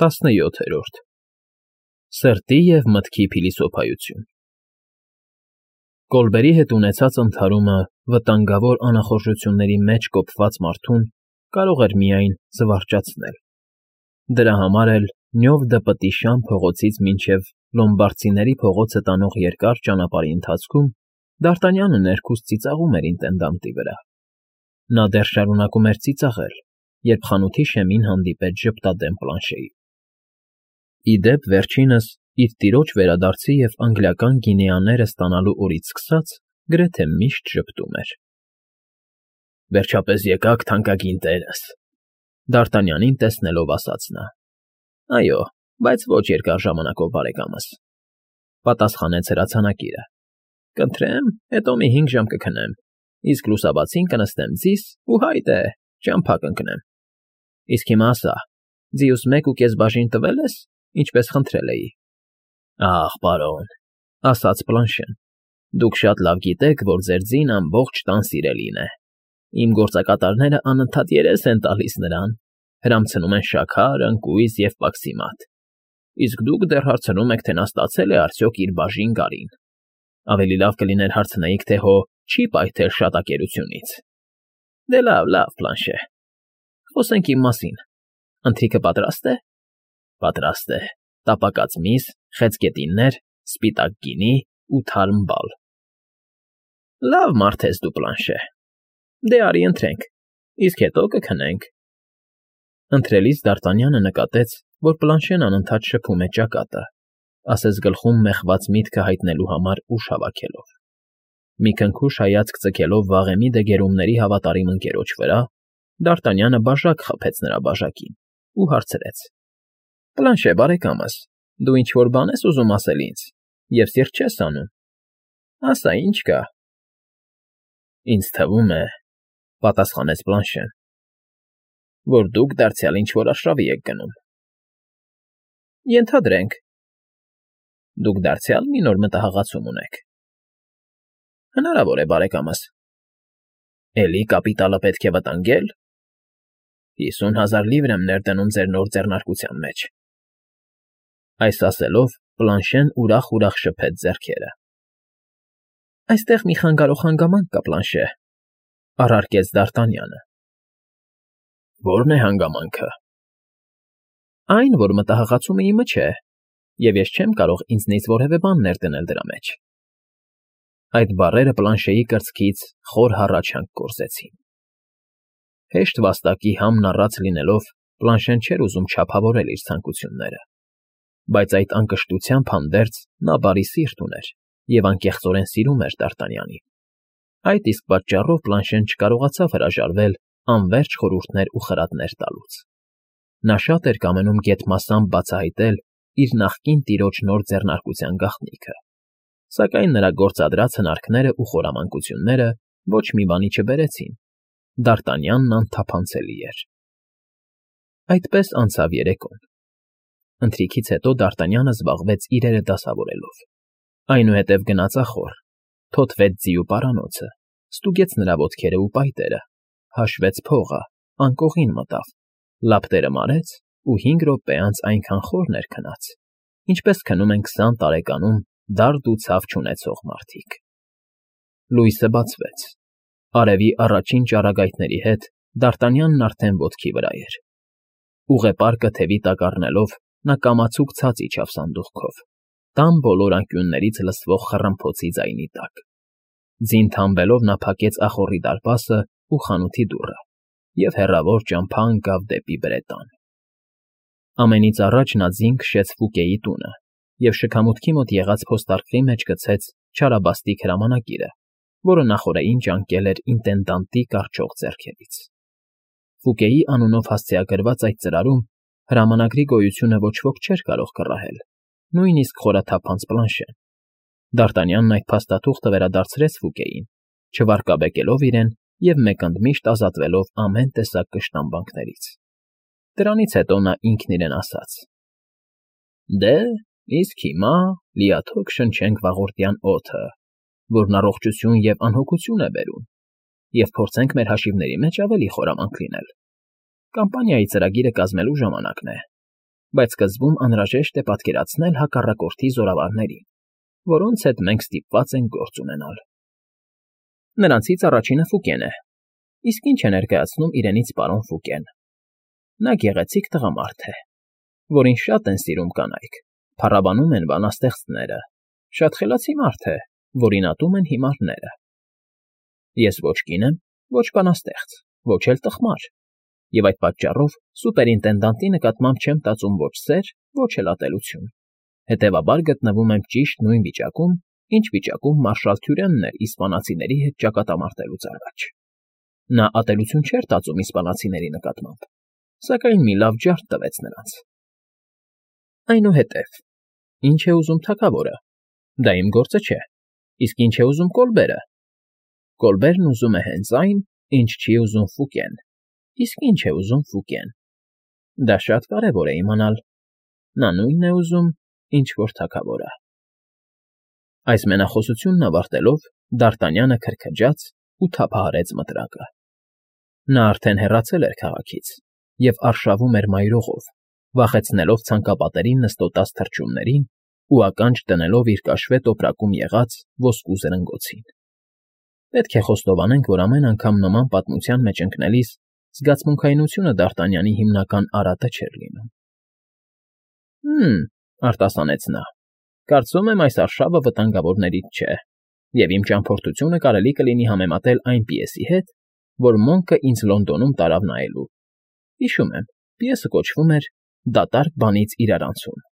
17 Սրտի և մտքի փիլիսոփայություն Կոլբերի հետ ունեցած ընդհարումը վտանգավոր անախորժությունների մեջ կոփված մարդուն կարող էր միայն զվարճացնել. դրա համար էլ Նյով դպտի Շան փողոցից մինչև Լոմբարդցիների փողոցը տանող երկար ճանապարհի ընթացքում Դ'Արտանյանը ներքուստ ծիծաղում էր ինտենդանտի վրա. նա դեռ շարունակում էր ծիծաղել, երբ խանութի շեմին հանդիպեց ժպտադեմ Պլանշեին. Ի դեպ, վերջինս իր տիրոջ վերադարձի և անգլիական գինեաները ստանալու օրից սկսած գրեթե միշտ ժպտում էր. Վերջապես եկաք, թանկագին տերս, Դ'Արտանյանին տեսնելով ասաց նա. Այո, բայց ոչ երկար ժամանակով, բարեկամս, պատասխանեց հրացանակիրը. Կընտրեմ, հետո մի 5 ժամ կքնեմ, իսկ լուսաբացին կնստեմ ձիս ու հայտ է, ճամփա կընկնեմ, իսկ հիմա ասա, ձիուս 1.5 բաժին տվե՞լ ես, ինչպես խնդրել էի։ Ախ, պարոն, ասաց Պլանշեն, դուք շատ լավ գիտեք, որ ձեր ձին ամբողջ տան սիրելին է, իմ գործակատարները անընդհատ երես են տալիս նրան, հրամցնում են շաքար, ընկույզ և պաքսիմատ, իսկ դուք դեռ հարցնում եք, թե նա ստացել է արդյոք իր բաժին գարին։ Ավելի լավ կլիներ հարցնեիք, թե հո չի պայթել շատակերությունից։ Դե լավ, Պլանշե, խոսենք իմ մասին, ընթրիքը պատրաստ է։ Պատրաստ է, տապակած միս, խեցգետիններ, սպիտակ գինի ու թարմ բալ։ Լավ մարդ ես դու, Պլանշե, դե արի ընթրենք, իսկ հետո կքնենք։ Ընթրելիս Դ'Արտանյանը նկատեց, որ Պլանշեն անընդհատ շփում է ճակատը, ասես գլխում մեխված միտքը հայտնելու համար ուժ հավաքելով։ Մի քնքուշ հայացք ձգելով վաղեմի դեգերումների հավատարիմ ընկերոջ վրա, Դ'Արտանյանը բաժակ խփեց նրա բաժակին ու հարցրեց. Պլանշե, բարեկամս, դու ինչ֊որ բան ես ուզում ասել ինձ, և սիրտ չես անում։ Ասա, ինչ կա։ Ինձ թվում է, պատասխանեց Պլանշեն, որ դուք դարձյալ ինչ֊որ արշավի եք գնում։ Ենթադրենք։ Դուք դարձյալ մի նոր մտահղացում ունեք։ Հնարավոր է, բարեկամս։ Էլի կապիտալը պետք է վտանգել։ 50,000 լիվր եմ ներդնում ձեր նոր ձեռնարկության մեջ։ Այս ասելով Պլանշեն ուրախ շփեց ձեռքերը։ Այստեղ մի խանգարող հանգամանք կա, Պլանշե, առարկեց Դ'Արտանյանը։ Ո՞րն է հանգամանքը։ Այն, որ մտահղացումը իմը չէ, և ես չեմ կարող ինձնից որևէ բան ներդնել դրա մեջ։ Այդ բառերը Պլանշեի կրծքից խոր հառաչանք գործեցին։ Հեշտ վաստակի համն առած լինելով, Պլանշեն չէր ուզում չափավորել իր ցանկությունները, բայց այդ անկշտությամբ հանդերձ նա բարի սիրտ ուներ և անկեղծորեն սիրում էր Դ'Արտանյանին։ Այդ իսկ պատճառով Պլանշեն չկարողացավ հրաժարվել անվերջ խորհուրդներ ու խրատներ տալուց։ Նա շատ էր կամենում գեթմասամբ բացահայտել իր նախկին տիրոջ նոր ձեռնարկության գաղտնիքը, սակայն նրա գործադրած հնարքներն ու խորամանկությունները ոչ մի բանի չբերեցին։ Դ'Արտանյանն անթափանցելի էր։ Այդպես անցավ երեկոն։ Ընթրիքից հետո Դ'Արտանյանը զբաղվեց իրերը դասավորելով։ Այնուհետև գնաց ախոր, թոթվեց ձիու պարանոցը, ստուգեց նրա ոտքերը ու պայտերը, հաշվեց փողը, անկողին մտավ, լապտերը մարեց ու 5 րոպե անց այնքան խոր ներքնաց, ինչպես քնում են 20 տարեկանում դարդ ու ցավ չունեցող մարդիկ։ Լույսը բացվեց։ Արևի առաջին ճառագայթների հետ Դ'Արտանյանն արդեն ոտքի վրա էր։ Ուղեպարկը թևի տակ առնելով, նա կամացուկ ցած իջավ սանդուղքով, տան բոլոր անկյուններից լսվող խռմփոցի ձայնի տակ։ Ձին թամբելով նա փակեց ախոռի դարպասը ու խանութի դուռը և հեռավոր ճամփա ընկավ դեպի Բրետան։ Ամենից առաջ նա ձին քշեց Ֆուկեի տունը և շքամուտքի մոտ եղած փոստարկղի մեջ գցեց չարաբաստիկ հրամանակիրը, որը նախօրեին ճանկել էր ինտենդանտի կառչող ձեռքերից։ Ֆուկեի անունով հասցեագրված այդ ծրարում հրամանագրի գոյությունը ոչ ոք չէր կարող կռահել, նույնիսկ խորաթափանց Պլանշեն։ Դ'Արտանյանն այդ փաստաթուղթը վերադարձրեց Ֆուկեին, չվարկաբեկելով իրեն և մեկընդմիշտ ազատվելով ամեն տեսակ կշտամբանքներից։ Դրանից հետո նա ինքն իրեն ասաց. Դե, իսկ հիմա լիաթոք շնչենք վաղորդյան օդը, որն առողջություն և անհոգություն է բերում, և փորձենք մեր հաշիվների մեջ ավելի խորամանկ լինել։ Կամպանիայի ծրագիրը կազմելու ժամանակն է։ Բայց սկզբում անհրաժեշտ է պատկերացնել հակառակորդի զորավարներին, որոնց հետ մենք ստիպված ենք գործ ունենալ։ Նրանցից առաջինը Ֆուկեն է։ Իսկ ինչ է ներկայացնում իրենից պարոն Ֆուկեն։ Նա գեղեցիկ տղամարդ է, որին շատ են սիրում կանայք, փառաբանում են բանաստեղծները, շատ խելացի մարդ է, որին ատում են հիմարները։ Ես ոչ կին եմ, ոչ բանաստեղծ, ոչ էլ տխմար, և այդ պատճառով սուպերինտենդանտի նկատմամբ չեմ տածում ոչ սեր, ոչ էլ ատելություն, հետևաբար գտնվում եմ ճիշտ նույն վիճակում, ինչ վիճակում մարշալ Թյուրենն էր իսպանացիների հետ ճակատամարտելուց առաջ։ Նա ատելություն չէր տածում իսպանացիների նկատմամբ, սակայն մի լավ ջարդ տվեց նրանց։ Այնուհետև, ինչ է ուզում թագավորը։ Դա իմ գործը չէ։ Իսկ ինչ է ուզում Կոլբերը։ Կոլբերն ուզում է հենց այն, ինչ չի ուզում Ֆուկեն։ Իսկ ինչ է ուզում Ֆուկեն։ Դա շատ կարևոր է իմանալ։ Նա նույնն է ուզում, ինչ որ թագավորը։ Այս մենախոսությունն ավարտելով, Դարտանյանը քրքջաց ու թափահարեց մտրակը։ Նա արդեն հեռացել էր քաղաքից և արշավում էր մայրողով, վախեցնելով ցանկապատերին նստոտած թռչուններին ու ականջ դնելով իր կաշվե տոպրակում եղած ոսկու զրնգոցին։ Պետք է խոստովանենք, որ ամեն անգամ նման պատմության մեջ ընկնելիս զգացմունքայնությունը Դարտանյանի հիմնական արատը չէր լինում։ Արտասանեց նա, կարծում եմ այս արշավը վտանգավորներից չէ, և իմ ճամփորդությունը կարելի կլինի համեմատել այն պիեսի հետ, որ Մոնկը ինձ Լոնդոնում տարավ նայելու։ Հիշում եմ, պիեսը կոչվում էր «Դատարկ բանից իրարանցում»։